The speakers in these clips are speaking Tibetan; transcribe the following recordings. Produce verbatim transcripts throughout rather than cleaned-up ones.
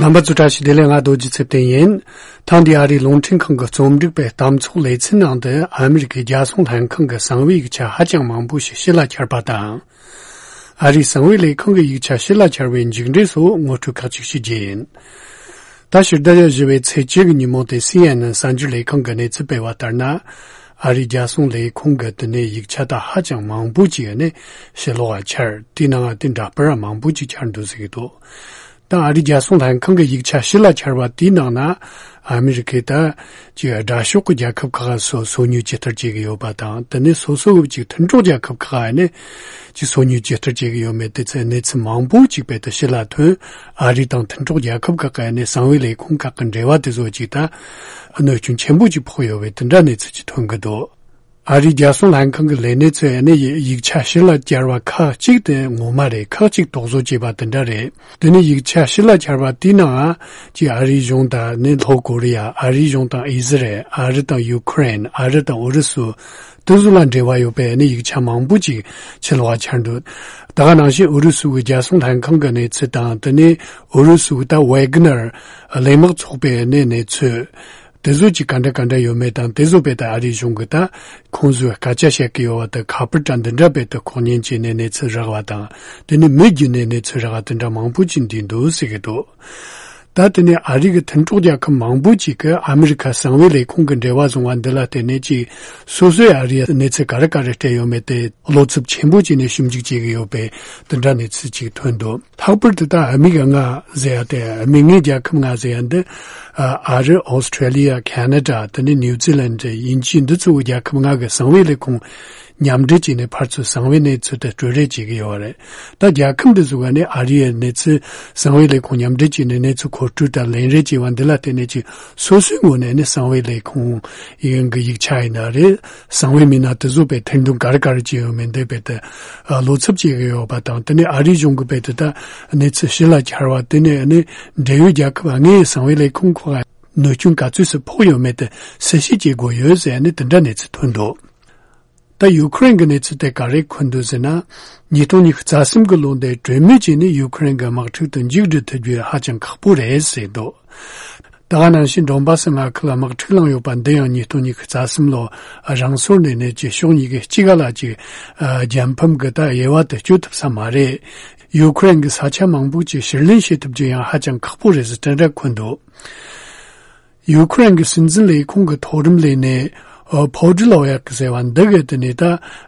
རྣམ་པ་ཚོ་བཀྲ་ཤིས་བདེ་ལེགས། ང་རྡོ་རྗེ་ཚེ་བརྟན་ཡིན། ཐེངས་འདིའི་ཨ་རིའི་རླུང་འཕྲིན་ཁང་གི་རྩོམ་སྒྲིག་པའི་གཏམ་ཚོགས་ལེ་ཚན་ནང་དུ་ཨ་མི་རི་ཀའི་རྒྱལ་སྲུང་ལྷན་ཁང་གི་གསང་བའི་ཡིག་ཆ་ཧ་ཅང་མང་པོ་ཞིག་ཕྱི་ལ་གྱར་པ་དང་། ཨ་རིའི་གསང་བའི་ལས་ཁང་གི་ཡིག་ཆ་ཕྱི་ལ་གྱར་བའི་མཇུག་འབྲས་སོགས་ངོ་སྤྲོད་ཁག་ཅིག་ཞུ་རྒྱུ་ཡིན། ད་ཕྱི་ཟླ་བཞི་པའི་ཚེས་བཅུ་གི་ཉིན་མོ་དེ་སི་ཨེན་ཨེན་གསར་འགྱུར་ལས་ཁང་གི་གནས་ཚུལ་སྤེལ་བ་ལྟར་ན། ཨ་རིའི་རྒྱལ་སྲུང་ལས་ཁང་གི་དེ་ནས་ཡིག་ཆ་ད་ཧ་ཅང་མང་པོ་ཅིག་ནས་ཕྱི་ལོགས་ལ་གྱར། དེའི་ནང་ང་དེ་འདྲ་པར་མང་པོ་ཅིག་གྱར་འདུག་ཟེར་གྱི་འདུག་ད་ཨ་རིའི་རྒྱལ་སྲུང་ལྷན་ཁང་གི་ཡིག་ཆ་ཕྱི་ལ་གྱར་བ་དེའི་ནང་ན། ཨ་མི་རི་ཀས་ད་ཅིག་དགྲ་ཕྱོགས་ཀྱི་རྒྱལ་ཁབ་ཁག་སོ་སོ་ཉུལ་ཇི་ལྟར་བྱེད་ཀྱི་ཡོད་པ་དང་། དེ་ནས་སོ་སོ་གི་ཅིག་མཐུན་གྲོགས་རྒྱལ་ཁབ་ཁག་ནས་ཅིག་སོ་ཉུལ་ཇི་ལྟར་བྱེད་ཀྱི་ཡོད་མེད་དེ་ཚོའི་གནས་ཚུལ་མང་པོ་ཅིག་རྦད་དེ་ཕྱི་ལ་ཐོན། ཨ་རི་དང་མཐུན་གྲོགས་རྒྱལ་ཁབ་ཁག་གི་ནས་གསང་བའི་ལས་ཁུངས་ཁག་གི་འབྲེལ་བ་དེ་ཚོ་ཅིག་ད་གནོད་སྐྱོན་ཆེན་པོ་ཅིག་ཕོག་ཡོད་པའི་དེ་འདྲ་གནས་ཚུལ་ཅིག་ཐོན་གྱི་འདུག་ཨ་རིའི་རྒྱལ་སྲུང་ལྷན་ཁང་གི་ལས་སྣེ་ཚོས་ནི་ཡིག་ཆ་ཕྱི་ལ་གྱར་བ་ཁག་ཅིག་དེ་ངོ་མ་རེད། ཁག་ཅིག་དོགས་བཟོ་བྱས་པ་དེ་འདྲ་རེད། དེ་ནི་ཡིག་ཆ་ཕྱི་ལ་གྱར་བ་དེའི་ནང་ཅིག་ཨ་རིའི་གཞུང་དང་ནི་ལྷོ་ཀོ་རི་ཡ། ཨ་རིའི་གཞུང་དང་ཨི་ཟི་རལ། ཨ་རི་དང་ཡུ་ཁུ་རེན། ཨ་རི་དང་ཨུ་རུ་སུ། དེ་ཚོ་ལ་འབྲེལ་བ་ཡོད་པའི་ནི་ཡིག་ཆ་མང་པོ་ཅིག་ཕྱི་ལོགས་ལ་གྱར་འདུག་ད་ག་ནང་བཞིན་ཨུ་རུ་སུ་གི་རྒྱལ་སྲུང་ལྷན་ཁང་གི་གནས་ཚུལ་དང་། དེ་ནས་ཨུ་རུ་སུ་གི་ད་ཝེ་གི་ནར་གླས་དམག་ཚོགས་པའི་ནི་གནས་ཚུལ། དེ་ཚོ་ཅིག་ག་འདྲ་ག་འདྲ་ཡོད་མེད་དང་། དེ་ཚོ་རྦད་དེ་ཨ་རིའི་གཞུང་གིས་ད་ཁོང་ཚོས་སྐད་ཆ་བཤད་ཀྱི་ཡོད་པ་དེ་ཁ་པར་དང་འདི་འདྲ་རྦད་དེ་ཁོག་ཉན་བྱས་ནས་གནས་ཚུལ་རག་པ་དང་། དེ་ནས་མི་བརྒྱུད་ནས་གནས་ཚུལ་རག་པ་དེ་འདྲ་མང་པོ་ཅིག་འདུས་འདུག་ཟེར་གྱི་འདུག་ད་དེ་ནས་ཨ་རི་གི་མཐུན་གྲོགས་རྒྱལ་ཁབ་མང་པོ་ཅིག་གིས་ཨ་མི་རི་ཁ་གསང་བའི་ལས་ཁུངས་ཀྱི་འབྲེལ་བ་བཟུང་བ་འདི་ལ་བརྟེན་ནས་ཅིག་སོ་སོས་ཨ་རིའི་གནས་ཚུལ་ག་རེ་ག་རེ་སྤྲད་ཡོད་མེད་དེ་བློ་འཚབ་ཆེན་པོ་བྱས་ནས་ཞིབ་འཇུག་བྱེད་ཀྱི་ཡོད་པའི་དེ་འདྲ་གནས་ཚུལ་ཅིག་ཐོན་འདུག་ལྷག་པར་དུ་ད་ཨ་མི་གི་ལྔ་ཟེར་ཡ་དེ། ཨ་མི་ལྔའི་རྒྱལ་ཁབ་ལྔ་ཟེར་ཡ་འདི་ཨ་རི། ཨོ་སི་ཁྲེ་ལི་ཡ། ཁ་ན་ཌ། དེ་ནས་ནིའུ་ཛི་ལན། དབྱིན་ཇི། འདི་ཚོའི་རྒྱལ་ཁབ་ལྔ་གི་གསང་བའི་ལས་ཁུངས་མཉམ་འབྲེལ་བྱས་ནས་ཕར་ཚུར་གསང་བའི་གནས་ཚུལ་དེ་སྤྲོད་རེས་བྱེད་ཀྱི་ཡོད་རེད། ད་རྒྱལ་ཁབ་འདི་ཚོ་ག་ནས་ཨ་རིའི་གནས་ཚུལ་གསང་བའི་ལས་ཁུངས་མཉམ་འབྲེལ་བྱས་ནས་གནས་ཚུལ་མཁོ་སྤྲོད་དང་ལེན་རེས་བྱས་པ་འདི་ལ་བརྟེན་ནས་ཅིག་སོ་སོའི་ངོས་ནས་ནི་གསང་བའི་ལས་ཁུངས་ཡིན་གི་ཡིག་ཆ་ཡིན་ན་རེད། གསང་བའི་མི་སྣ་དེ་ཚོ་རྦད་ཐེར་འདོན་ག་རེ་ག་རེ་བྱས་ཡོད་མེད་འདི་རྦད་དེ་ཨ་བློ་འཚབ་བྱེད་ཀྱི་ཡོད་པ་དང་། དེ་ནས་ཨ་རིའི་གཞུང་གིས་རྦད་དེ་ད་གནས་ཚུལ་ཕྱི་ལ་གྱར་བ་དེ་ནས་ནི་འབྲེལ་ཡོད་རྒྱལ་ཁབ་ལྔའི་གསང་བའི་ལས་ཁུངས་ཁག་གནོད་སྐྱོན་ག་ཚོད་ཙམ་ཕོག་ཡོད་མེད་དེ་གསལ་བཤད་བྱེད་དགོས་ཡོད་ཟེར་ནས་དེ་འདྲ་གནས་ཚུལ་ཐོན་འདུག་ད་ཡུ་ཁུ་རེན་གྱི་གནས་ཚུལ་དེ་ག་རེ་འཁོད་འདུག་ཟེར་ན། ཉིས་སྟོང་ཉི་ཤུ་རྩ་གསུམ་གྱི་ལོ་འདིར་གྲོས་མོལ་བྱས་ནས་ཡུ་ཁུ་རེན་གྱི་དམག་འཁྲུག་དེ་མཇུག་སྒྲིལ་ཐུབ་རྒྱུ་ཧ་ཅང་ཁག་པོ་རེད་ཟེར་འདུག་ད་ག་ནང་བཞིན་ཌོན་བྷ་སི་མངའ་ཁུལ་ལ་དམག་འཁྲུག་བསླངས་ཡོད་པ་འདི་ཡང་ཉིས་སྟོང་ཉི་ཤུ་རྩ་གསུམ་ལོ་རང་སོར་ནས་ནས་ཀྱི་ཕྱོགས་གཉིས་ཀྱི་གཅིག་ག་ལ་གཅིག་རྒྱལ་ཕམ་གྱི་ད་དབྱེ་བ་དེ་གཅོད་ཐུབ་ས་མ་རེད། ཡུ་ཁུ་རེན་གྱི་ས་ཆ་མང་པོ་ཅིག་ཕྱིར་ལེན་བྱེད་ཐུབ་རྒྱུ་ཡང་ཧ་ཅང་ཁག་པོ་རེད་ཟེར་དེ་འདྲ་འཁོད་འདུག་ཡུ་ཁུ་རེན་གྱི་སྲིད་འཛིན་ལས་ཁུངས་ཀྱི་མཐོ་རིམ་ལས་སྣེ་ཨོ་ཕོ་ཌི་ལོ་ཡག་གི་ཟེར་བ་འདི་གིས་དེ་ནས་ད་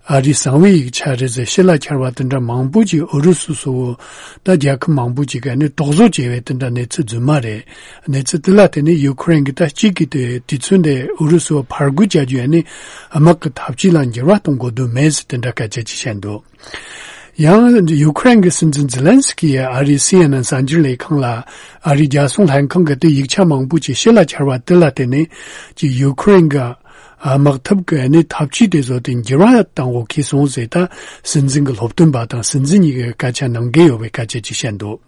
ཨ་རིའི་གསང་བའི་ཡིག་ཆ་རེད་ཟེར་ཕྱི་ལ་གྱར་བ་དེ་འདྲ་མང་པོ་ཅིག་ཨུ་རུ་སུ་སོགས་ད་རྒྱལ་ཁབ་མང་པོ་ཅིག་གིས་ནི་དོགས་བཟོ་བྱས་པའི་དེ་འདྲ་གནས་ཚུལ་རྫུན་མ་རེད། གནས་ཚུལ་དེ་ལ་བརྟེན་ནས་ཡུ་ཁུ་རེན་གྱིས་ད་གཅིག་གིས་དེ་དུས་ཚོད་འདི་ཨུ་རུ་སུར་ཕར་རྒོལ་བྱ་རྒྱུ་ཡང་ནི་དམག་གི་འཐབ་ཇུས་ལ་འགྱུར་བ་གཏོང་དགོས་དོན་མེད་ཟེར་དེ་འདྲ་སྐད་ཆ་ཅིག་བཤད་འདུག་ཡང་ཡུ་ཁུ་རེན་གྱི་སྲིད་འཛིན་ཛེ་ལན་སི་ཀི་ཡིས་ཨ་རིའི་སི་ཨེན་ཨེན་གསར་འགྱུར་ལས་ཁང་ལ་ཨ་རིའི་རྒྱལ་སྲུང་ལྷན་ཁང་གི་དེ་ཡིག་ཆ་མང་པོ་ཅིག་ཕྱི་ལ་གྱར་བ་དེ་ལ་བརྟེན་ནས་ཀྱི་ཡུ་ཁུ་རེན་གྱི་དམག་འཐབ་ཀྱི་གནས་འཐབ་ཇུས་དེ་ཚོ་དེ་འགྱུར་བ་གཏང་དགོས་ཁེལ་སོང་ཟེར་ད་སྲིད་འཛིན་གྱི་སློབ་སྟོན་པ་དང་སྲིད་འཛིན་གཉིས་ཀྱི་སྐད་ཆ་གནང་གི་ཡོད་པའི་སྐད་ཆ་ཅིག་བཤད་འདུག་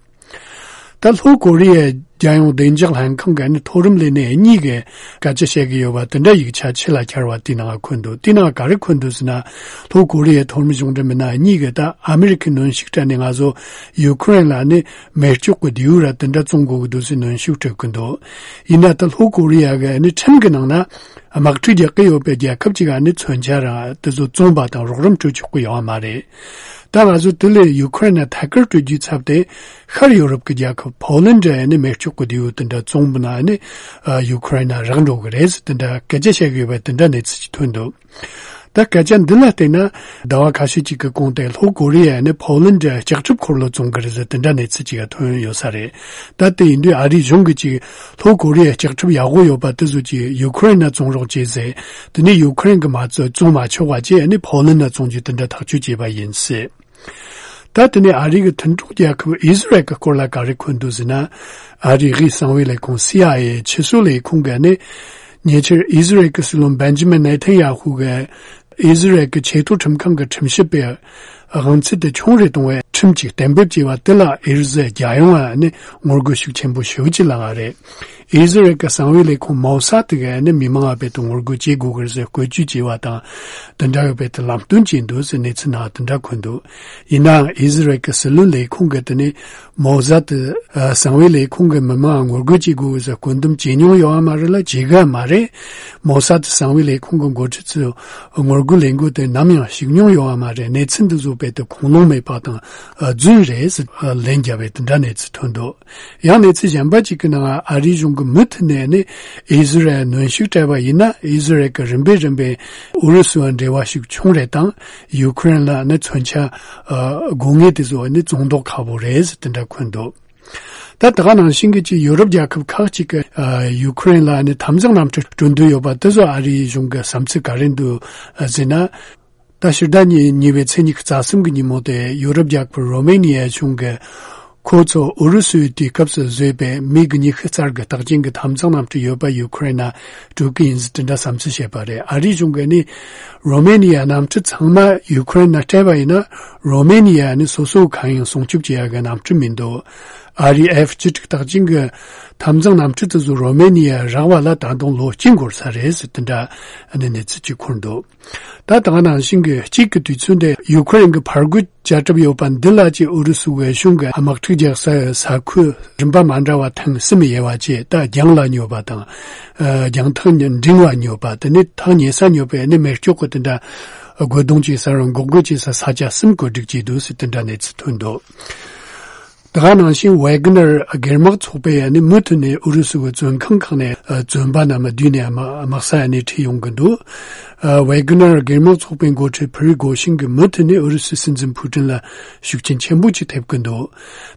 ད་ལྷོ་ཀོ་རི་ཡའི་རྒྱལ་ཡོངས་བདེ་འཇགས་ལྷན་ཁང་གི་ནི་མཐོ་རིམ་ལས་སྣེ་གཉིས་ཀྱིས་སྐད་ཆ་བཤད་ཀྱི་ཡོད་པ་དེ་འདྲ་ཡིག་ཆ་ཕྱི་ལ་གྱར་བ་དེའི་ནང་འཁོད་འདུག་དེའི་ནང་ག་རེ་འཁོད་འདུག་ཟེར་ན། ལྷོ་ཀོ་རི་ཡའི་མཐོ་རིམ་གཞུང་འབྲེལ་མི་སྣ་གཉིས་ཀྱིས་ད་ཨ་མི་རི་ཁའི་གནོན་ཤུགས་སྤྲད་ནས་ང་ཚོ་ཡུ་ཁུ་རེན་ལ་ནི་མེ་སྒྱོགས་ཀྱི་མདེའུ་ར་དེ་འདྲ་བཙོང་དགོས་ཀྱི་འདུག་ཟེར་གནོན་ཤུགས་སྤྲད་ཀྱི་འདུག་ཡིན་ན་ད་ལྷོ་ཀོ་རི་ཡ་གི་ནི་ཁྲིམས་ཀྱི་ནང་ན་དམག་འཁྲུག་རྒྱག་གི་ཡོད་པའི་རྒྱལ་ཁབ་ཅིག་ག་ནི་མཚོན་ཆ་ར་དེ་ཚོ་བཙོང་པ་དང་རོགས་རམ་སྤྲོད་ཆོག་གི་ཡོད་མ་རེད། ད་ང་ཚོ་དེ་ལས་ཡུ་ཁུ་རེན་ལ་ཐད་ཀར་སྤྲོད་རྒྱུའི་ཚབ་ཏུ་ཤར་ཡོ་རོབ་ཀྱི་རྒྱལ་ཁབ་ཕོ་ལན་ཌི་ཡ་ནི་མེ་སྒྱོགས་ཀྱི་མདེའུ་དེ་འདྲ་བཙོང་པ་ན་ནི་ཡུ་ཁུ་རེན་ལ་རག་འགྲོ་གི་རེད་ཟེར་དེ་འདྲ་སྐད་ཆ་བཤད་གི་ཡོད་པ་དེ་འདྲ་གནས་ཚུལ་ཅིག་ཐོན་འདུག་ད་སྐད་ཆ་འདི་ལ་བལྟས་ན་ཟླ་བ་ཁ་ཤས་ཅིག་གི་གོང་དེ་ལྷོ་ཀོ་རི་ཡ་ནི་ཕོ་ལན་ཌི་ལྕགས་ཁྲབ་འཁོར་ལོ་བཙོང་གི་རེད་ཟེར་དེ་འདྲ་གནས་ཚུལ་ཅིག་ཐོན་ཡོད་ས་རེད། ད་དེ་ཡིན་དུས་ཨ་རིའི་གཞུང་གིས་ཅིག་ལྷོ་ཀོ་རི་ཡའི་ལྕགས་ཁྲབ་ཡག་པོ་ཡོད་པ་དེ་ཚོ་ཅིག་ཡུ་ཁུ་རེན་ལ་བཙོང་རོགས་བྱེད་ཟེར། དེ་ནས་ཡུ་ཁུ་རེན་གྱིས་མ་བཙོང་བཙོང་མ་ཆོག་པ་བྱས་ནི་ཕོ་ལན་ལ་བཙོང་རྒྱུ་དེ་འདྲ་ཐག་གཅོད་བྱས་པ་ཡིན་ཟེར། ད་དེ་ནས་ཨ་རི་གི་མཐུན་གྲོགས་རྒྱལ་ཁབ་ཨི་ཟི་རལ་གྱི་སྐོར་ལ་ག་རེ་འཁོད་འདུག་ཟེར་ན། ཨ་རིའི་གསང་བའི་ལས་ཁུངས་སི་ཨའི་ཨེ་ཕྱི་སོ་ལས་ཁུངས་ཀྱིས་ནི་ཉེ་ཆར་ཨི་ཟི་རལ་གྱི་སྲིད་བློན་བེན་ཇི་མིན་ནེ་ཐན་ཡ་ཧུ་གིས་ཨི་ཟི་རལ་གྱི་ཆེས་མཐོ་ཁྲིམས་ཁང་གི་ཁྲིམས་ཞིབ་པས་དབང་ཚད་དེ་ཆུང་རུ་གཏོང་བའི་ཁྲིམས་ཅིག་གཏན་འབེབས་བྱས་པ་དེ་ལ་ཨི་ཟི་རལ་རྒྱལ་ཡོངས་ནས་ངོ་རྒོལ་ཤུགས་ཆེན་པོ་ཞེ་པོ་ཅིག་ལངས་པ་རེད། ཨི་ཟི་རལ་གྱི་གསང་བའི་ལས་ཁུངས་མོ་སཱད་དེ་གིས་ནི་མི་མང་ལ་བོད་དུ་ངོ་རྒོལ་བྱེད་དགོས་ཀྱི་རེད་ཟེར་བཀོད་ཇུས་བྱས་པ་དང་། དེ་འདྲ་བའི་བོད་དུ་ལམ་སྟོན་བྱས་འདུག་ཟེར་གནས་ཚུལ་ནང་དེ་འདྲ་འཁོད་འདུག་ཡིན་ནའང་ཨི་ཟི་རལ་གྱི་སྲིད་བློན་ལས་ཁུངས་ཀྱིས་དེ་ནི་མོ་སཱད་དེ་གསང་བའི་ལས་ཁུངས་ཀྱིས་མི་མང་ལ་ངོ་རྒོལ་བྱེད་དགོས་ཟེར་བཀོད་འདོམས་བྱེད་མྱོང་ཡོད་པ་མ་རེད་ལ། བྱེད་ཀྱི་མ་རེད། མོ་སཱད་དེ་གསང་བའི་ལས་ཁུངས་ཀྱི་འགོ་ཁྲིད་ཚོས་ངོ་རྒོལ་ལས་འགུལ་དེ་ནམ་ཡང་ཞུགས་མྱོང་ཡོད་པ་མ་རེད། གནས་ཚུལ་འདི་ཚོ་བོད་དུ་ཁུངས་ལུང་མེད་པ་དང་རྫུན་རེད་ཟེར་ལན་བརྒྱབ་པའི་དེ་འདྲ་གནས་ཚུལ་ཐོན་འདུག་ཡང་གནས་ཚུལ་གཞན་པ་གཅིག་གི་ནང་ཨ་རིའི་གཞུང་གིས་མུ་མཐུད་ནས་ནི་ཨི་ཟི་རལ་གནོན་ཤུགས་སྤྲད་པ་ཡིན་ན། ཨི་ཟི་རལ་གྱིས་རིམ་པས་རིམ་པས་ཨུ་རུ་སུ་བ་འབྲེལ་བ་ཞིག་བྱུང་རེད་དང་། ཡུ་ཁུ་རེན་ལ་ནི་མཚོན་ཆ་ཨ་དགོས་ངེས་དེ་ཚོ་ནི་བཙོང་མདོག་ཁ་པོ་རེད་ཟེར་དེ་འདྲ་འཁོད་འདུག་ད་དེ་ག་ནང་བཞིན་གྱི་ཅིག་ཡུ་རོབ་རྒྱལ་ཁབ་ཁག་ཅིག་གིས་ཨ་ཡུ་ཁུ་རེན་ལ་ནི་འཐབ་འཛིང་གནམ་གྲུ་སྤྲོད་འདོད་ཡོད་པ་དེ་ཚོ་ཨ་རིའི་གཞུང་གི་བསམ་ཚུལ་ག་རེ་འདུག་ཟེར་ན། ད་ཕྱི་ཟླ་གཉིས་པའི་ཚེས་ཉི་ཤུ་རྩ་གསུམ་གྱི་ཉིན་མོ་དེ་ཡུ་རོབ་རྒྱལ་ཁབ་རོ་མེ་ནི་ཡའི་གཞུང་གིས་ཁོ་ཚོ་ཨུ་རུ་སུའི་དུས་སྐབས་སུ་བཟོས་པའི་མིག་ཉི་ཤུ་རྩ་དགུ་རྟགས་ཅན་གྱི་འཐབ་འཛིང་གནམ་གྲུ་ཡོད་པ་ཡུ་ཁུ་རེན་ལ་སྤྲོད་ཀྱི་ཡིན་ཟེར་དེ་འདྲ་བསམ་ཚུལ་བཤད་པ་རེད། ཨ་རིའི་གཞུང་གིས་ནི་རོ་མེ་ནི་ཡའི་གནམ་གྲུ་ཚང་མ་ཡུ་ཁུ་རེན་ལ་སྤྲད་པ་ཡིན་ན། རོ་མེ་ནི་ཡ་ནི་སོ་སོ་གང་ཡང་སྲུང་སྐྱོབ་བྱེད་ཡ་གི་གནམ་གྲུ་མི་འདུག་ཨ་རིའི་ཨེཕ་བཅུ་དྲུག་རྟགས་ཅན་གྱི་འཐབ་འཛིང་གནམ་གྲུ་དེ་ཚོ་རོ་མེ་ནི་ཡར་རག་པ་ལ་ད་དུང་ལོ་གཅིག་འགོར་ས་རེད་ཟེར་དེ་འདྲ་ནི་གནས་ཚུལ་ཅིག་འཁོད་འདུག་ད་དེ་ག་ནང་བཞིན་གྱི་གཅིག་གི་དུས་ཚོད་དེ་ཡུ་ཁུ་རེན་གྱི་ཕར་རྒོལ་བྱ་གྲབས་ཡོད་པ་འདི་ལ་ཅིག་ཨུ་རུ་སུ་གི་གཞུང་གིས་དམག་འཁྲུག་རྒྱག་སའི་ས་ཁུལ་རིམ་པ་མ་འདྲ་བ་ཐེངས་གསུམ་ཡོད་པ་བཅས། ད་རྒྱང་ལ་ཉོ་བ་དང་། ཨ་རྒྱང་ཐག་འབྲིང་བ་ཉོ་བ། དེ་ནས་ཐག་ཉེ་ས་ཉོ་བའི་ནི་མེ་སྒྱོགས་ཀྱི་དེ་འདྲ་རྒོལ་རྡུང་བྱེད་ས་རང་འགོག་རྒོལ་བྱེད་ས་ས་ཆ་གསུམ་བཀོད་སྒྲིག་བྱས་འདུག་ཟེར་དེ་འདྲ་གནས་ཚུལ་ཐོན་འདུག་དེ་ག་ནང་བཞིན་ཝེ་གྷི་ནར་སྒེར་དམག་ཚོགས་པས་ནི་མུ་མཐུད་ནས་ཨུ་རུ་སུ་གི་བཙོན་ཁང་ཁག་ནས་ཨ་བཙོན་པ་རྣམས་བསྡུས་ནས་དམག་དམག་ས་ནས་ཁྲིད་ཡོང་གི་འདུག་ཨ་ཝེ་གྷི་ནར་སྒེར་དམག་ཚོགས་པའི་འགོ་ཁྲིད་ཕི་རི་གོ་ཤིན་གྱིས་མུ་མཐུད་ནས་ཨུ་རུ་སུའི་སྲིད་འཛིན་ཕུ་ཀྲིན་ལ་ཤུགས་རྐྱེན་ཆེན་པོ་ཅིག་ཐེབས་ཀྱི་འདུག་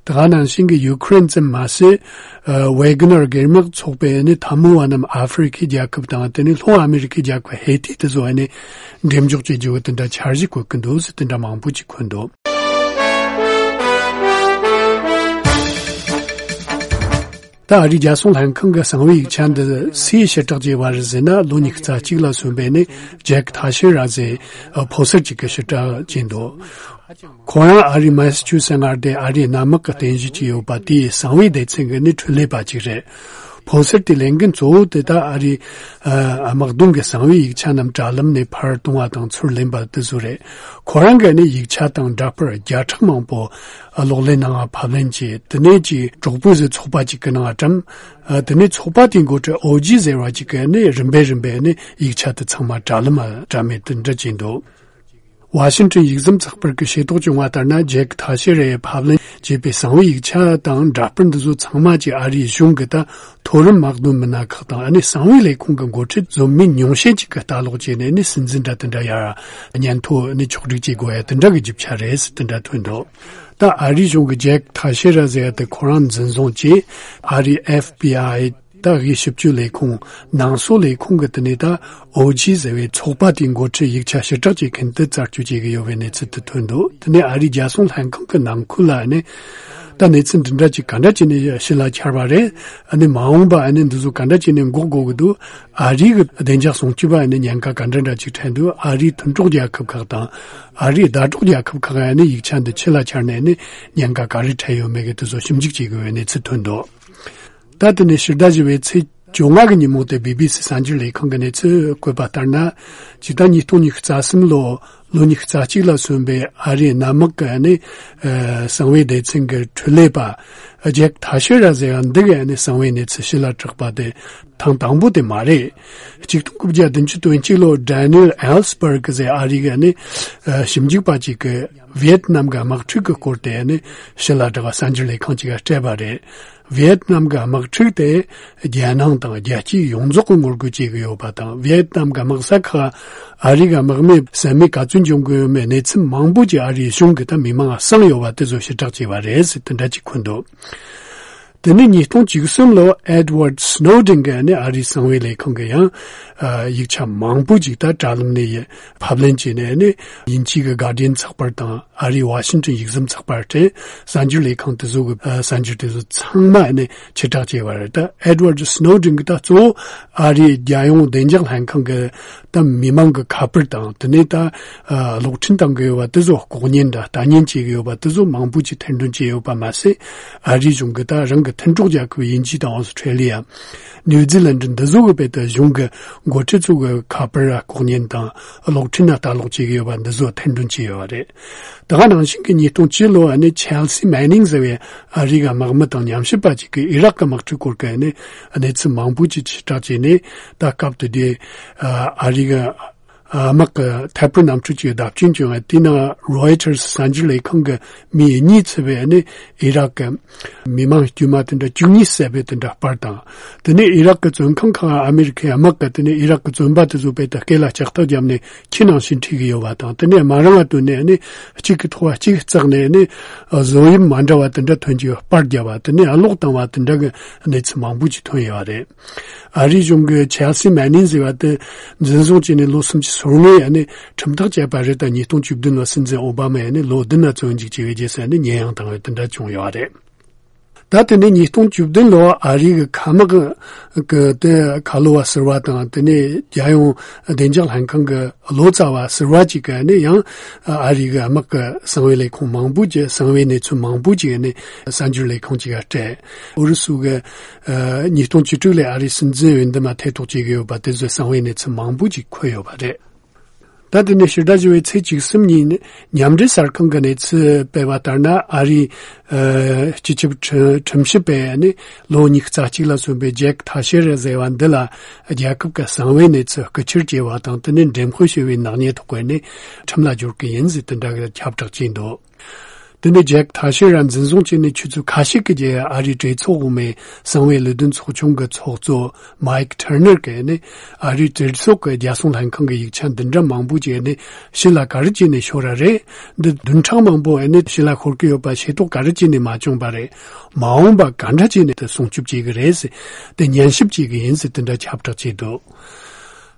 དེ་ག་ནང་བཞིན་གྱི་ཡུ་ཁུ་རེན་ཙམ་མ་ཟད། ཨ་ཝེ་གྷི་ནར་སྒེར་དམག་ཚོགས་པས་ནི་འཐབ་མོ་བ་རྣམས་ཨ་ཧྥེ་རི་ཁའི་རྒྱལ་ཁབ་དང་། དེ་ནས་ལྷོ་ཨ་མེ་རི་ཁའི་རྒྱལ་ཁབ་ཧེ་ཏི་དེ་ཚོ་ནས་འགྲེམས་འཇོག་བྱེད་རྒྱུ་དེ་འདྲ་འཆར་གཞི་བཀོད་ཀྱི་འདུག་ཟེར་དེ་འདྲ་མང་པོ་ཅིག་འཁོད་འདུག་ད་ཨ་རིའི་རྒྱལ་སྲུང་ལྷན་ཁང་གི་གསང་བའི་ཡིག་ཆ་འདི་སུས་ཕྱིར་བསྒྲགས་བྱས་པ་རེད་ཟེར་ན། ལོ་ཉི་ཤུ་རྩ་གཅིག་ལ་སོན་པའི་ནི་ཇེག་ཐ་ཤེ་ར་ཟེར་ཕོ་གསར་ཅིག་གིས་ཕྱིར་བསྒྲགས་བྱས་འདུག་ཁོ་རང་ཨ་རིའི་མ་ས་ཆུ་སེ་མངའ་སྡེ་ཨ་རིའི་གནམ་དམག་གི་རྟེན་གཞི་ཅིག་ཡོད་པ་དེའི་གསང་བའི་སྡེ་ཚན་གྱི་ནི་འཕྲུལ་ལས་པ་ཅིག་རེད། ཕོ་གསར་དེའི་ལས་འགན་གཙོ་བོ་དེ་ད་ཨ་རིའི་ཨ་དམག་དོན་གྱི་གསང་བའི་ཡིག་ཆ་རྣམས་དྲ་ལམ་ནས་ཕར་གཏོང་བ་དང་ཚུར་ལེན་པ་དེ་ཚོ་རེད། ཁོ་རང་གིས་ནི་ཡིག་ཆ་དང་འདྲ་པར་བརྒྱ་ཕྲག་མང་པོ་གློག་ཀླད་ནང་ཕབ་ལེན་བྱས། དེ་ནས་ཀྱི་གྲོགས་པོ་ཟེར་ཚོགས་པ་ཅིག་གི་ནང་བཀྲམ། ཨ་དེ་ནས་ཚོགས་པ་དེའི་འགོ་ཁྲིད་ཨོ་ཇི་ཟེར་བ་ཅིག་གིས་ནི་རིམ་པས་རིམ་པས་ནི་ཡིག་ཆ་དེ་ཚང་མ་དྲ་ལམ་བཀྲམ་མེད་དེ་འདྲ་བྱས་འདུག་ཝ་ཤིང་ཊོན་ཡིག་ཟམ་ཚགས་པར་གྱིས་ཤེས་རྟོགས་བྱུང་བ་ལྟར་ན། ཇེག་ཐ་ཤེ་ར་ཡིས་ཕབ་ལེན་བྱས་པའི་གསང་བའི་ཡིག་ཆ་དང་འདྲ་པར་འདི་ཚོ་ཚང་མ་གྱིས་ཨ་རིའི་གཞུང་གི་ད་མཐོ་རིམ་དམག་དོན་མི་སྣ་ཁག་དང་། ཨ་ནི་གསང་བའི་ལས་ཁུངས་ཀྱི་འགོ་ཁྲིད་བཟོ་མི་ཉུང་ཤས་ཅིག་གིས་ལྟ་ཀློག་བྱས་ནས་ནི་སྲིད་འཛིན་འདྲ་དེ་འདྲ་ཡར་སྙན་ཐོ་ནི་ཕྱོགས་སྒྲིག་བྱེད་དགོས་ཡ་དེ་འདྲ་གི་རྒྱུ་ཆ་རེད་ཟེར་དེ་འདྲ་ཐོན་འདུག་ད་ཨ་རིའི་གཞུང་གིས་ཇེག་ཐ་ཤེ་ར་ཟེར་ཡ་དེ་ཁོ་རང་འཛིན་བཟུང་བྱས། ཨ་རིའི་ཨེཕ་བི་ཨའི་ད་དབུས་ཞིབ་དཔྱོད་ལས་ཁུངས་ནང་སོག་ལས་ཁུངས་ཀྱི་དེ་ནས་ད་ཨོ་ཇི་ཟེར་བའི་ཚོགས་པ་དེའི་འགོ་ཁྲིད་ཡིག་ཆ་ཕྱིར་བསྒྲགས་བྱེད་མཁན་དེ་རྩད་གཅོད་བྱེད་ཀྱི་ཡོད་པའི་གནས་ཚུལ་དེ་ཐོན་འདུག་དེ་ནས་ཨ་རིའི་རྒྱལ་སྲུང་ལྷན་ཁང་གི་ནང་ཁུལ་ལ་ནི་ད་གནས་ཚུལ་འདི་འདྲ་ཅིག་ག་འདྲ་བྱས་ནས་ཕྱི་ལ་འཁྱར་བ་རེད། ཨ་ནི་མ་འོངས་པ་ཨ་ནི་འདི་ཚོ་ག་འདྲ་བྱས་ནས་འགོག་དགོས་ཀྱི་འདུག་ཨ་རིའི་གི་བདེ་འཇགས་སྲུང་སྐྱོབ་པ་ཨ་ནི་ཉེན་ཁ་ག་འདྲ་འདྲ་ཅིག་འཕྲད་འདུག་ཨ་རིའི་མཐུན་གྲོགས་རྒྱལ་ཁབ་ཁག་དང་ཨ་རིའི་ཟླ་གྲོགས་རྒྱལ་ཁབ་ཁག་ཨ་ནི་ཡིག་ཆ་འདི་ཕྱི་ལ་འཁྱར་ནས་ཨ་ནི་ཉེན་ཁ་ག་རེ་འཕྲད་ཡོད་མེད་ཀྱི་དེ་ཚོ་ཞིབ་འཇུག་བྱེད་དགོས་པའི་གནས་ཚུལ་ཐོན་འདུག་ད་དེ་ནས་ཕྱི་ཟླ་བཞི་པའི་ཚེས་བཅོ་ལྔ་གི་ཉིན་མོ་དེ་བི་བི་སི་གསར་འགྱུར་ལས་ཁང་གི་གནས་ཚུལ་བཀོད་པ་ལྟར་ན། ཇི་ལྟར་ཉིས་སྟོང་ཉི་ཤུ་རྩ་གསུམ་ལོ་ལོ་ཉི་ཤུ་རྩ་གཅིག་ལ་སོན་པའི་ཨ་རིའི་གནམ་དམག་གི་ནི་ཨ་གསང་བའི་སྡེ་ཚན་གྱི་འཕྲུལ་ལས་པ་ཇེག་ཐ་ཤེ་ར་ཟེར་ཡ་འདི་གི་ནི་གསང་བའི་གནས་ཚུལ་ཕྱི་ལ་བསྒྲགས་པ་དེ་ཐེངས་དང་པོ་དེ་མ་རེད། ཆིག་སྟོང་དགུ་བརྒྱ་བདུན་ཅུ་དོན་གཅིག་ལོ་ཌེ་ནི་ཨེལ་ཨེལ་སི་བར་གི་ཟེར་ཨ་རིའི་གི་ནི་ཨ་ཞིབ་འཇུག་པ་ཅིག་གིས་ཝི་ཡེད་ནམ་གྱི་དམག་འཁྲུག་གི་སྐོར་དེ་ནི་ཕྱི་ལ་བསྒྲགས་པ་གསར་འགྱུར་ལས་ཁང་ཅིག་གིས་སྤྲད་པ་རེད། ཝི་ཡེད་ནམ་གྱི་དམག་འཁྲུག་དེ་རྒྱལ་ནང་དང་རྒྱལ་སྤྱིའི་ཡོངས་རྫོགས་ཀྱིས་ངོ་རྒོལ་བྱེད་ཀྱི་ཡོད་པ་དང་། ཝི་ཡེད་ནམ་གྱི་དམག་ས་ཁག་ཨ་རིའི་གི་དམག་མིས་ཟ་མའི་ག་ཚོད་འཇོམས་ཀྱི་ཡོད་མེད་གནས་ཚུལ་མང་པོ་ཅིག་ཨ་རིའི་གཞུང་གིས་ད་མི་མང་ལ་གསུངས་ཡོད་པ་དེ་ཚོ་ཕྱིར་བསྒྲགས་བྱས་པ་རེད་ཟེར་དེ་འདྲ་ཅིག་འཁོད་འདུག་དེ་ནས་ཉིས་སྟོང་བཅུ་གསུམ་ལོ་ཨེ་ཌི་ཝར་ཌི་སི་ནོ་ཌེན་གྱིས་ནི་ཨ་རིའི་གསང་བའི་ལས་ཁང་གི་ཡང་ཨ་ཡིག་ཆ་མང་པོ་ཅིག་ད་དྲ་ལམ་ནས་ཕབ་ལེན་བྱས་ནས་ནི་དབྱིན་ཇིའི་གི་གྷར་ཌི་ཡན་ཚགས་པར་དང་། ཨ་རིའི་ཝ་ཤིང་ཊོན་ཡིག་ཟམ་ཚགས་པར་སྟེ་གསར་འགྱུར་ལས་ཁང་དེ་ཚོ་གི་ཨ་གསར་འགྱུར་དེ་ཚོ་ཚང་མ་ནི་ཕྱིར་བསྒྲགས་བྱས་པ་རེད། ད་ཨེ་ཌི་ཝར་ཌི་སི་ནོ་ཌེན་གྱིས་ད་གཙོ་བོ་ཨ་རིའི་རྒྱལ་ཡོངས་བདེ་འཇགས་ལྷན་ཁང་གི་ད་མི་མང་གི་ཁ་པར་དང་། དེ་ནས་ད་ཨ་གློག་འཕྲིན་བཏང་གི་ཡོད་པ་དེ་ཚོ་ལྐོག་ཉན་འདྲ་ལྟ་ཉན་བྱེད་ཀྱི་ཡོད་པ་དེ་ཚོ་མང་པོ་ཅིག་ཐེར་འདོན་བྱས་ཡོད་པ་མ་ཟད། ཨ་རིའི་གཞུང་གིས་ད་རང་གི་ མཐུན་གྲོགས་རྒྱལ་ཁབ་དབྱིན་ཇི་དང་ཨོ་སི་ཁྲེ་ལི་ཡ། ནིའུ་ཛི་ལན་འདི་ཚོ་གི་བེད་དུ་གཞུང་གི་འགོ་ཁྲིད་ཚོ་གི་ཁ་པར་ལྐོག་ཉན་དང་གློག་འཕྲིན་ལ་ལྟ་ཀློག་བྱེད་ཀྱི་ཡོད་པ་འདི་ཚོ་ཐེར་འདོན་བྱས་ཡོད་པ་རེད། ད་ག་ནང་བཞིན་གྱི་ཉིས་སྟོང་བཅུ་ལོ་ཨ་ནི་ཆེལ་སི་མེ་ནིང་ཟེར་བའི་ཨ་རིའི་དམག་མི་དང་ཉམས་ཞིབ་པ་ཅིག་གིས་ཨི་རག་གི་དམག་འཁྲུག་སྐོར་གྱི་ཨ་ནི་གནས་ཚུལ་མང་པོ་ཅིག་ཕྱིར་བསྒྲགས་བྱས་ནས། ད་སྐབས་དེ་དུས་ཨ་རིའི་དམག་གི་ཐད་འཕུར་གནམ་གྲུ་ཅིག་བརྡབ་སྐྱོན་བྱུང་བ་དེའི་ནང་རོའི་ཊར་གསར་འགྱུར་ལས་ཁང་གི་མི་གཉིས་ཚུད་པའི་ཨ་ནི་ཨི་རག་གི་མི་མང་དཀྱུས་མ་དེ་འདྲ་བཅུ་གཉིས་བསད་པའི་དེ་འདྲ་པར་དང་། དེ་ནས་ཨི་རག་གི་བཙོན་ཁང་ཁག་ཨ་མེ་རི་ཁའི་དམག་གིས་དེ་ནས་ཨི་རག་གི་བཙོན་པ་དེ་ཚོ་བེད་དུ་སྐེ་ལ་ལྕགས་ཐག་བརྒྱབ་ནས་ཁྱི་ནང་བཞིན་ཁྲིད་ཀྱི་ཡོད་པ་དང་། དེ་ནས་མ་རང་ང་བཏོན་ནས་ཨ་ནི་གཅིག་གི་ཐོག་གཅིག་བརྩེགས་ནས་ཨ་ནི་བཟོ་དབྱིབས་མ་འདྲ་བ་དེ་འདྲ་ཐོན་གྱི་ཡོད། པར་བརྒྱབ་པ་དེ་ནས་ཨ་ལོག་བཏང་བ་དེ་འདྲ་གི་གནས་ཚུལ་མང་པོ་ཅིག་ཐོན་ཡོད་རེད། ཨ་རིའི་གཞུང་གི་ཆེལ་སི་མེ་ནིང་ཟེར་བ་དེ་འཛིན་བཟུང་བྱས་ནས་ལོ་སུམ་ཅུ་སོ་ལྔའི་ཨ་ནི་ཁྲིམས་ཐག་བཅད་པ་རེད། ད་ཉིས་སྟོང་བཅུ་བདུན་ལོ་སྲིད་འཛིན་ཨོ་བྷ་མས་ཨ་ནི་ལོ་བདུན་ན་བཙོན་འཇུག་བྱས་པའི་རྗེས་སུ་ཨ་ནི་ཉེས་ཡངས་བཏང་བའི་དེ་འདྲ་བྱུང་ཡོད་རེད། ད་དེ་ནས་ཉིས་སྟོང་བཅུ་བདུན་ལོ་ཨ་རིའི་མཁའ་དམག་གི་དེ་ཁ་ལོ་བ་ཟུར་པ་དང་། དེ་ནས་རྒྱལ་ཡོངས་བདེ་འཇགས་ལྷན་ཁང་གི་ལོ་ཙཱ་བ་ཟུར་པ་ཅིག་གིས་ནི་ཡང་ཨ་རིའི་དམག་གི་གསང་བའི་ལས་ཁུངས་མང་པོ་ཅིག་གསང་བའི་གནས་ཚུལ་མང་པོ་ཅིག་ནི་གསར་འགྱུར་ལས་ཁང་ཅིག་ག་སྤྲད། ཨུ་རུ་སུ་གི་ཉིས་སྟོང་བཅུ་དྲུག་ལོའི་ཨ་རིའི་སྲིད་འཛིན་འོས་འདེམས་ལ་ཐེ་གཏོགས་བྱེད་ཀྱི་ཡོད་པ་དེ་ཚོའི་གསང་བའི་གནས་ཚུལ་མང་པོ་ཅིག་འཁོད་ཡོད་པ་རེད། ད་དེ་ནས་ཕྱི་ཟླ་བཞི་པའི་ཚེས་བཅུ་གསུམ་ཉིན་མཉམ་འབྲེལ་གསར་ཁང་གི་གནས་ཚུལ་སྤེལ་བ་ལྟར་ན། ཨ་རིའི་ཨ་སྤྱི་ཁྱབ་ཁྲི་ཁྲིམས་ཞིབ་པས་ནི་ལོ་ཉི་ཤུ་རྩ་གཅིག་ལ་སོན་པའི་ཇེག་ཐ་ཤེར་ཟེར་བ་འདི་ལ་རྒྱལ་ཁབ་ཀྱི་གསང་བའི་གནས་ཚུལ་རྐུ་འཁྱེར་བྱས་པ་དང་། དེ་ནས་འགྲེམས་སྤེལ་བྱས་པའི་ནག་ཉེས་ཐོག་གི་ནི་ཁྲིམས་ལ་སྦྱོར་གི་ཡིན་ཟེར་དེ་འདྲ་གི་ཁྱབ་བསྒྲགས་བྱས་འདུག་དེ་ནས་ཇེག་ཐ་ཤེར་ར་འཛིན་བཟུང་བྱས་ནས་ཆུ་ཚོད་ཁ་ཤས་ཀྱི་རྗེས། ཨ་རིའི་གྲོས་ཚོགས་འོག་མའི་གསང་བའི་ལས་དོན་ཚོགས་ཆུང་གི་ཚོགས་གཙོ་མའིག་ཐར་ནར་གྱིས་ནི་ཨ་རིའི་གྲོས་ཚོགས་ཀྱི་རྒྱལ་སྲུང་ལྷན་ཁང་གི་ཡིག་ཆ་འདི་འདྲ་མང་པོ་ཅིག་ནི་ཕྱི་ལ་ག་རེ་བྱས་ནས་ཤོར་བ་རེད། འདི་བདུན་ཕྲག་མང་པོ་ནི་ཕྱི་ལ་ཤོར་གྱི་ཡོད་པ་ཤེས་རྟོགས་ག་རེ་བྱས་ནས་མ་བྱུང་བ་རེད། མ་འོངས་པ་ག་འདྲ་བྱས་ནས་དེ་སྲུང་སྐྱོབ་བྱེད་ཀྱི་རེད་ཟེར། དེ་ཉན་ཞིབ་བྱེད་ཀྱི་ཡིན་ཟེར་དེ་འདྲ་ཁྱབ་བསྒྲགས་བྱས་འདུག་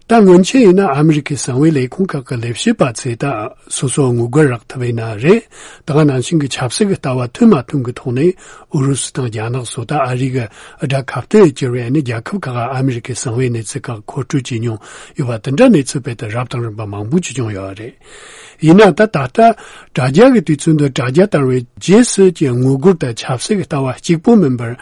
ད་སྔོན་ཆད་ཡིན་ན་ཨ་མི་རི་ཁའི་གསང་བའི་ལས་ཁུངས་ཁག་གི་ལས་བྱེད་པ་ཚོས་ད་སོ་སོ་ངོ་རྒོལ་རག་ཐུབ་ཡིན་ན་རེད། ད་ག་ནང་བཞིན་གྱི་ཆབ་སྲིད་ཀྱི་ལྟ་བ་མཐུན་མ་མཐུན་གྱི་ཐོག་ནས་ཨུ་རུ་སུ་དང་རྒྱ་ནག་སོགས་ད་ཨ་རི་གི་དགྲ་ཁ་གཏད་གྱུར་བའི་ནི་རྒྱལ་ཁབ་ཁག་ག་ཨ་མི་རི་ཁའི་གསང་བའི་གནས་ཚུལ་ཁག་མཁོ་སྤྲོད་བྱེད་མྱོང་ཡོད་པ་དེ་འདྲ་གནས་ཚུལ་དཔེ་དེ་རབ་དང་རིམ་པ་མང་པོ་ཅིག་བྱུང་ཡོད་རེད། ཡིན་ན་ད་ད་ལྟ་དྲ་རྒྱ་གི་དུས་ཚོད་འདི་དྲ་རྒྱ་དར་བའི་རྗེས་སུ་ཀྱི་ངོ་རྒོལ་དང་ཆབ་སྲིད་ཀྱི་ལྟ་བ་གཅིག་པོ་མིན་པར།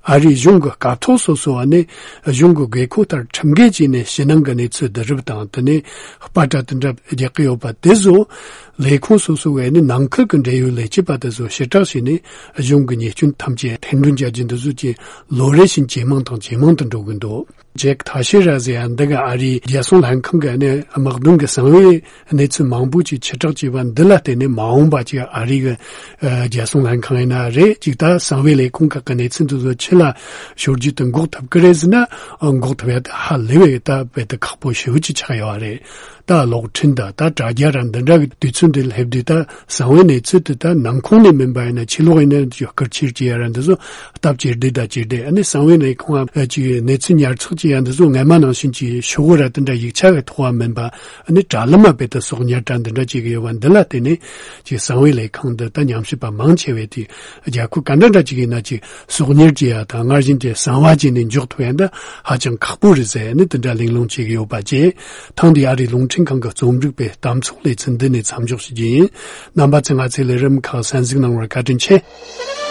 ཨ་རིའི་གཞུང་གི་སྐབས་ཐོག་སོ་སོ་བ་ནི་གཞུང་གི་དགོས་མཁོ་ལྟར་ཁྲིམས་འགལ་བྱས་ནས་ཕྱི་ནང་གི་གནས་ཚུལ་བསྡུ་རུབ་དང་། དེ་ནས་པར་སྒྲ་དེ་འདྲ་རྒྱག་གི་ཡོད་པ་དེ་ཚོ་ལས་ཁུངས་སོ་སོ་བས་ནི་ནང་ཁུལ་གྱི་འབྲེལ་ཡོད་ལས་བྱེད་པ་དེ་ཚོ་ཕྱིར་བསྒྲགས་བྱས་ནས་གཞུང་གི་ཉེས་སྐྱོན་ཐམས་ཅད་ཐེར་འདོན་བྱ་རྒྱུ་འདི་ཚོ་ཀྱི་ལོ་རེ་བཞིན་ཇེ་མང་དང་ཇེ་མང་དུ་འགྲོ་གི་འདུག་ཇེག་ཐ་ཤེ་ར་ཟེར་ཡ་འདི་ག་ཨ་རིའི་རྒྱལ་སྲུང་ལྷན་ཁང་གི་ནི་དམག་དོན་གྱི་གསང་བའི་གནས་ཚུལ་མང་པོ་ཅིག་ཕྱིར་བསྒྲགས་བྱས་པ་འདི་ལ་བརྟེན་ནས་མ་འོངས་པ་ཅིག་ཨ་རི་གི་ཨ་རྒྱལ་སྲུང་ལྷན་ཁང་ཡིན་ན་རེད། ཅིག་ད་གསང་བའི་ལས་ཁུངས་ཁག་གི་གནས་ཚུལ་འདི་ཚོ་ཕྱི་ལ་ཤོར་རྒྱུ་དེ་འགོག་ཐུབ་ཀྱི་རེད་ཟེར་ན། ཨ་འགོག་ཐུབ་ཡ་དེ་ཧ་ལས་པའི་ད་རྦད་དེ་ཁག་པོ་ཞེ་པོ་ཅིག་ཆགས་ཡོད་རེད། ད་གློག་འཕྲིན་དང་ད་དྲ་རྒྱ་ར་འདི་འདྲ་གི་དུས་ཚོད་འདི་སླེབས་དུས། ད་གསང་བའི་གནས་ཚུལ་དེ་ད་ནང་ཁོངས་ནས་མིན་པ་ཡིན་ན་ཕྱི་ལོགས་ཡིན་ན་རྐུ་འཁྱེར་བྱེད་ཡ་ར་འདི་ཚོ་སྟབས་ཇེ་བདེ་དང་ཇེ་བདེ། ཨ་ནི་གསང་བའི་ལས་ཁུངས་ཨ་ཅིག་གནས་ཚུལ་ཉར་ཚགས་བྱེད་ཡ་འདི་ཚོ་སྔ་མ་ནང་བཞིན་གྱི་ཤོག་བུ་ར་དེ་འདྲ་ཡིག་ཆ་གི་ཐོག་མ་མིན་པ། ཨ་ནི་དྲ་ལམ་མ་རྦད་དེ་གསོག་ཉར་དང་འདི་འདྲ་བྱེད་ཀྱི་ཡོད་པ་འདི་ལ་བརྟེན་ནས་ཅིག་གསང་བའི་ལས་ཁང་འདི་ད་ཉམས་ཞིབ་པ་མང་ཆེ་བས་དེ་རྒྱལ་ཁབ་ག་འདྲ་འདྲ་ཅིག་ཡིན་ན་ཅིག་གསོག་ཉར་བྱེད་ཡ་དང་སྔར་བཞིན་གྱི་གསང་བ་བྱས་ནས་འཇོག་ཐུབ་ཡ་འདི་ཧ་ཅང་ཁག་པོ་རེད་ཟེར་ནས་དེ་འདྲ་གླེང་སློང་བྱེད་ཀྱི་ཡོད་པ་བཅས། ཐེངས་འདིའི་ཨ་རིའི་རླུང་འཕྲིན་ཁང་གི་རྩོམ་སྒྲིག་པའི་གཏམ་ཚོགས་ལེ་ཚན་འདི་ནས་མཚམས་འཇོག་ཞུ་རྒྱུ་ཡིན། རྣམ་པ་ཚོས་ང་ཚོའི་ལས་རིམ་ཁག་གསན་གཟིགས་གནང་བར་བཀའ་དྲིན་ཆེ།